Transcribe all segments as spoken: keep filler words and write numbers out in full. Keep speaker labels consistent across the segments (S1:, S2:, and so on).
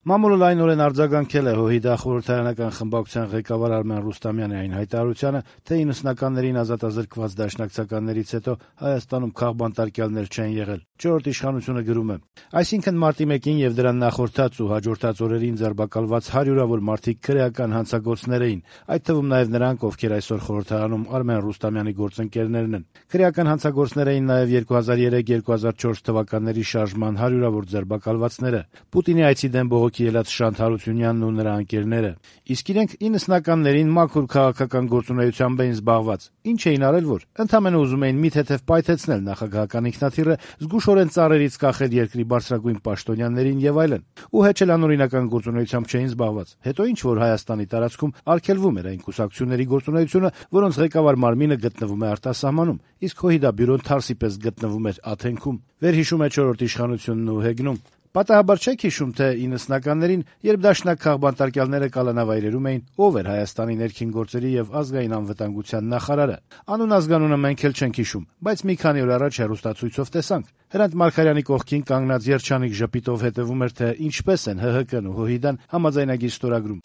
S1: Մամուլը լայնորեն արձագանքել է ՀՅԴ խորհրդարանական խմբակցության ղեկավար Արմեն Ռուստամյանի այն հայտարարությանը, թե իննսունականներին ազատազրկված դաշնակցականներից հետո Հայաստանում քաղբանտարկյալներ չեն եղել։ Չորրորդ իշխանությունը գրում է. այսինքն մարտի մեկին եւ դրան նախորդած ու հաջորդած օրերին ձերբակալված հարյուրավոր մարդիկ քրեական հանցագործներ էին, այդ թվում նաեւ նրանք, ովքեր այսօր խորհրդարանում Արմեն Ռուստամյանի գործընկերներն են։ Քրեական հանցագործներ էին նաեւ երկու հազար երեք երկու հազար չորս թվականների շարժման հարյուրավոր ձերբակալվածները, Պուտինի այցի դեմ բողոքի ելած Շանթ Հարությունյանն ու նրա ընկերները։ Իսկ իրենք իննսնականներին մաքուր քաղաքական գործունեությամբ էին զբաղված։ Ինչ էին արել, որ ընդամենը ուզում էին մի թեթև պայթեցնել նախագահական ինքնաթիռը, զգուշորեն ծառերից կախել երկրի բարձրագույն պաշտոնյաներին եւ այլն։ Ու հեչ էլ անօրինական գործունեությամբ չէին զբաղված։ Հետո ինչ որ Հայաստանի տարածքում արգելվում էր այն կուսակցությունների գործունեությունը, որոնց ղեկավար մարմինը գտնվում է արտասահմանում, իսկ ՀՅԴ բյուրոն թարսի պես գտնվում էր Աթենքում։ Վերհիշում է չորրորդ իշխանությունն ու հեգնում. Պատահաբար չեք հիշում, թե իննսնականներին, երբ դաշնակ քաղբանտարկյալները կալանավայրերում էին, ով էր Հայաստանի ներքին գործերի եւ ազգային անվտանգության նախարարը։ Անուն ազգանունը մենք էլ չենք հիշում, բայց մի քանի օր առաջ հեռուստացույցով տեսանք։ Հրանտ Մարգարյանի կողքին կանգնած երջանիկ ժպիտով հետևում էր, թե ինչպես են ՀՀԿ-ն ու ՀՅԴ-ն համաձայնագիր ստորագրում։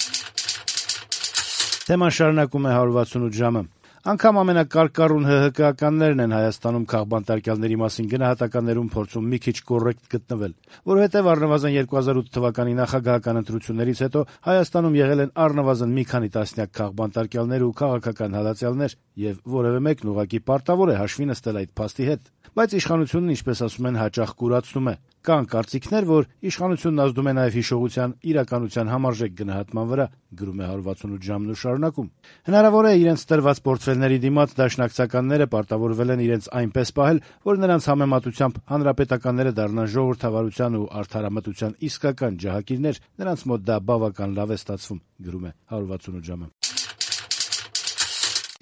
S1: Թեման շարունակում է հարյուր վաթսունութ ժամը։ Անգամ ամենակարկառուն ՀՀԿ-ականներն են Հայաստանում քաղբանտարկյալների մասին գնահատականներում փորձում մի քիչ կոռեկտ գտնվել, որովհետև առնվազն երկու հազար ութ թվականի նախագահական ընտրություններից հետո Հայաստանում եղել են առնվազն մի քանի տասնյակ քաղբանտարկյալներ ու քաղաքական հալածյալներ, եւ որևէ մեկն ուղղակի պարտավոր է հաշվի նստել այդ փաստի հետ։ Բայց իշխանությունն, ինչպես ասում են, հաճախ կուրացնում է։ Կան կարծիքներ, որ իշխանությունն ազդում է նաև հիշողության իրականության համարժեք գնահատման վրա, գրում է հարյուր վաթսունութ ժամն ու շարունակում։ Հնարավոր է իրենց տրված պորտֆելների դիմաց դաշնակցականները պարտավորվել են իրենց այնպես պահել, որ նրանց համեմատությամբ հանրապետականները դառնան ժողովրդավարության ու արդարամտության իսկական ջահակիրներ, նրանց մոտ դա բավական լավ է ստացվում, գրում է հարյուր վաթսունութ ժամը։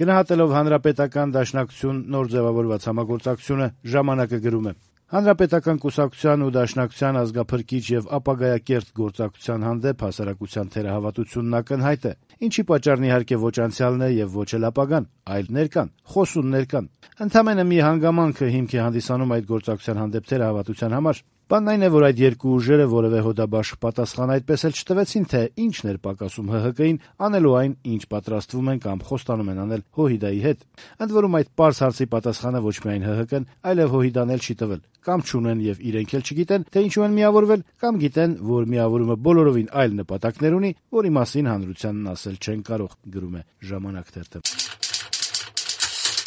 S1: Գնահատելով հանրապետական դաշնակցություն նոր ձևավորված համագործակցությունը, ժամանակը գրում է. Հանրապետական կուսակցության ու դաշնակցության ազգափրկիչ եւ ապագայակերտ գործակցության հանդեպ հասարակության թերահավատությունն ակնհայտ է, ինչի պատճառն իհարկե ոչ անցյալն է եւ ոչ էլ ապագան, այլ ներկան, խոսուններ կան։ Ընդամենը մի հանգամանքը հիմք է հանդիսանում այդ գործակցության հանդեպ թերահավատության համար։ Բանն այն է, որ այդ երկու ուժերը որևէ հոդաբաշխ պատասխան այդպես էլ չտվեցին, թե ինչն էր պակասում ՀՀԿ-ին անելու այն, ինչ պատրաստվում են կամ խոստանում են անել ՀՅԴ-ի հետ։ Ընդ որում այդ պարզ հարցի պատասխանը ոչ միայն ՀՀԿ-ն, այլև ՀՅԴ-ն էլ չի տվել։ Կամ չունեն եւ իրենք էլ չգիտեն, թե ինչու են միավորվել, կամ գիտեն, որ միավորումը բոլորովին այլ նպատակներ ունի, որի մասին հանրությանն ասել չեն կարող, գրում է Ժամանակ թերթը։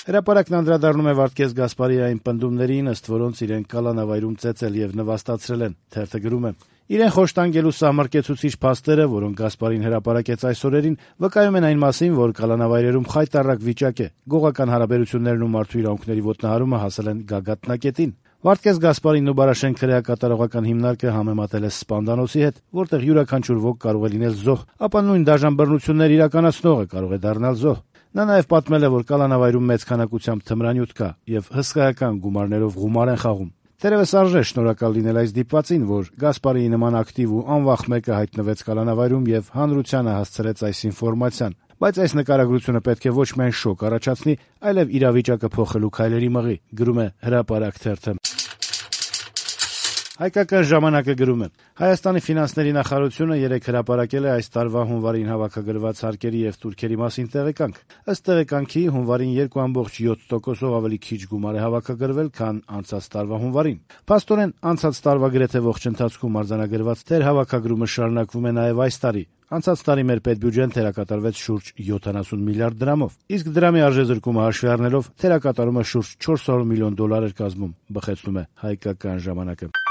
S1: Հրապարակն անդրադառնում է Վարդգես Գասպարիային պնդումներին, ըստ որոնց իրենք կալանավայրում ծեծել եւ նվաստացրել են։ Թերթը գրում է. Իրեն խոշտանգելու սահմռկեցուցիչ փաստերը, որոնք Գասպարին հրապարակեց այս օրերին, վկայում են այն մասին, որ կալանավայրերում խայտառակ վիճակ է, գողական հարաբերություններն ու մարդու իրավունքների ոտնահարումը հասել են գագաթնակետին։ Վարդգես Գասպարինն ու Բարաշեն քրեակատարողական հիմնարկը համեմատել է Սպանդանոցի հետ, որտեղ յուրաքանչյուր ոք կարող է լինել զոհ, ապա նույն դաժան բռնություններ իրականացնողը կարող է դառնալ զոհ։ Նա նաև պատմել է, որ կալանավայրում մեծ քանակությամբ թմրանյութ կա եւ հսկայական գումարներով գումար են խաղում։ Թերևս արժե շնորհակալ լինել այս դիպվածին, որ Գասպարիի նման ակտիվ ու անվախ մեկը հայտնվեց կալանավայրում եւ հանրությանը հասցրեց այս ինֆորմացիան։ Բայց այս նկարագրությունը պետք է ոչ միայն շոկ առաջացնի, այլև իրավիճակը փոխելու քայլերի մղի, գրում է Հրապարակ թերթը։ Հայկական ժամանակը գրում է. Հայաստանի ֆինանսների նախարարությունը երեկ հրապարակել է այս տարվա հունվարին հավաքագրված հարկերի եւ տուրքերի մասին տեղեկանք։ Ըստ տեղեկանքի հունվարին երկու կόμma յոթ տոկոսով ավելի քիչ գումար է հավաքագրվել, քան անցած տարվա հունվարին։ Փաստորեն անցած տարվա գրեթե ողջ ընթացքում արձանագրված թերհավաքագրումը շարունակվում է նաեւ այս տարի։ Անցած տարի մեր պետբյուջեն թերակատարվեց շուրջ յոթանասուն միլիարդ դրամով, իսկ դրամի արժեզրկումը հաշվի առնելով թերակատարումը շուրջ չորս հարյուր միլիոն դոլար էր կազմում, բխեցնում է Հայկական ժամանակը։